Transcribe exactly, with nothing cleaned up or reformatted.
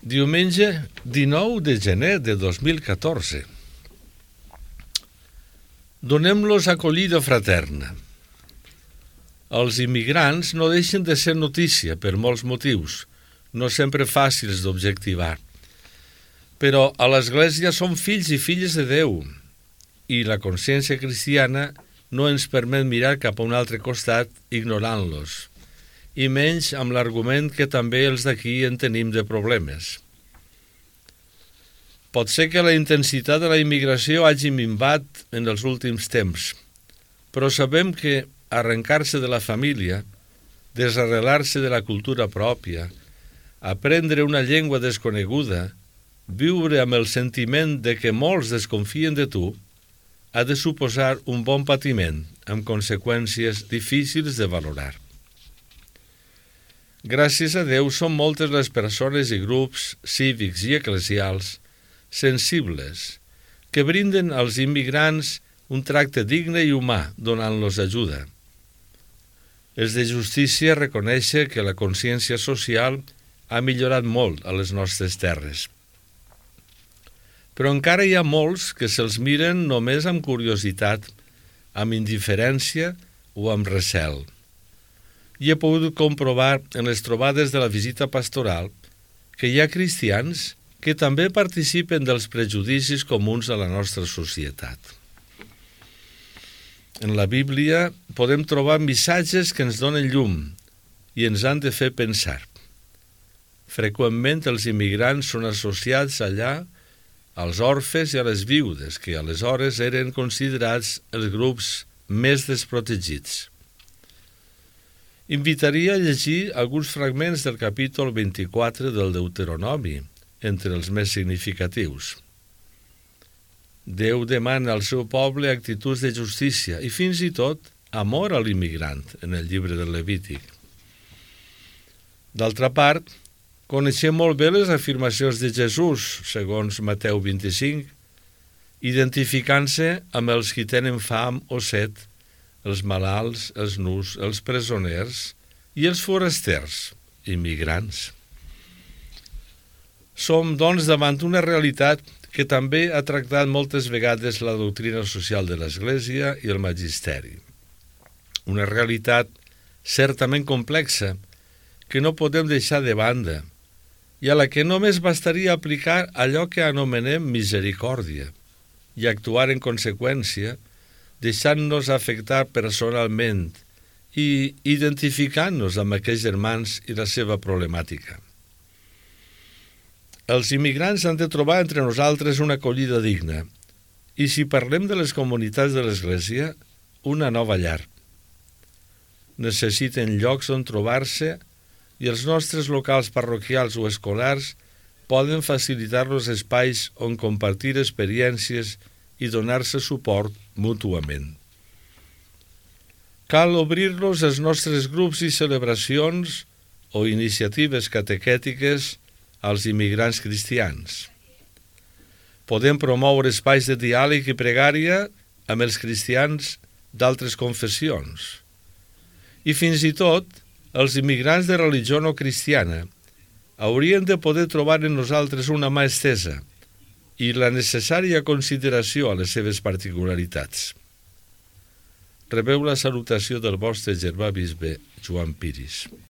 Diumenge dinou de gener de dos mil catorze. Donem-los acollida fraterna. Els immigrants no deixen de ser notícia per molts motius, no sempre fàcils d'objectivar. Però a l'Església som fills i filles de Déu i la consciència cristiana no ens permet mirar cap a un altre costat ignorant-los, i menys amb l'argument que també els d'aquí en tenim de problemes. Pot ser que la intensitat de la immigració hagi minvat en els últims temps, però sabem que arrencar-se de la família, desarrelar-se de la cultura pròpia, aprendre una llengua desconeguda, viure amb el sentiment de que molts desconfien de tu, ha de suposar un bon patiment, amb conseqüències difícils de valorar. Gràcies a Déu són moltes les persones i grups cívics i eclesials sensibles que brinden als immigrants un tracte digne i humà donant-los ajuda. És de justícia reconèixer que la consciència social ha millorat molt a les nostres terres. Però encara hi ha molts que se'ls miren només amb curiositat, amb indiferència o amb recel. I he pogut comprovar en les trobades de la visita pastoral que hi ha cristians que també participen dels prejudicis comuns a la nostra societat. En la Bíblia podem trobar missatges que ens donen llum i ens han de fer pensar. Freqüentment els immigrants són associats allà als orfes i a les viudes, que aleshores eren considerats els grups més desprotegits. Invitaria a llegir alguns fragments del capítol vint-i-quatre del Deuteronomi, entre els més significatius. Déu demana al seu poble actituds de justícia i fins i tot amor a l'immigrant en el llibre del Levític. D'altra part, coneixem molt bé les afirmacions de Jesús, segons Mateu vint-i-cinc, identificant-se amb els qui tenen fam o set, els malalts, els nus, els presoners i els forasters, immigrants. Som, doncs, davant una realitat que també ha tractat moltes vegades la doctrina social de l'Església i el magisteri. Una realitat certament complexa que no podem deixar de banda i a la que només bastaria aplicar allò que anomenem misericòrdia i actuar en conseqüència, deixant-nos afectar personalment i identificant-nos amb aquells germans i la seva problemàtica. Els immigrants han de trobar entre nosaltres una acollida digna i, si parlem de les comunitats de l'Església, una nova llar. Necessiten llocs on trobar-se i els nostres locals parroquials o escolars poden facilitar-los espais on compartir experiències i donar-se suport mútuament. Cal obrir-los als nostres grups i celebracions o iniciatives catequètiques als immigrants cristians. Podem promoure espais de diàleg i pregària amb els cristians d'altres confessions. I fins i tot, els immigrants de religió no cristiana haurien de poder trobar en nosaltres una mà estesa i la necessària consideració a les seves particularitats. Rebeu la salutació del vostre germà bisbe Joan Piris.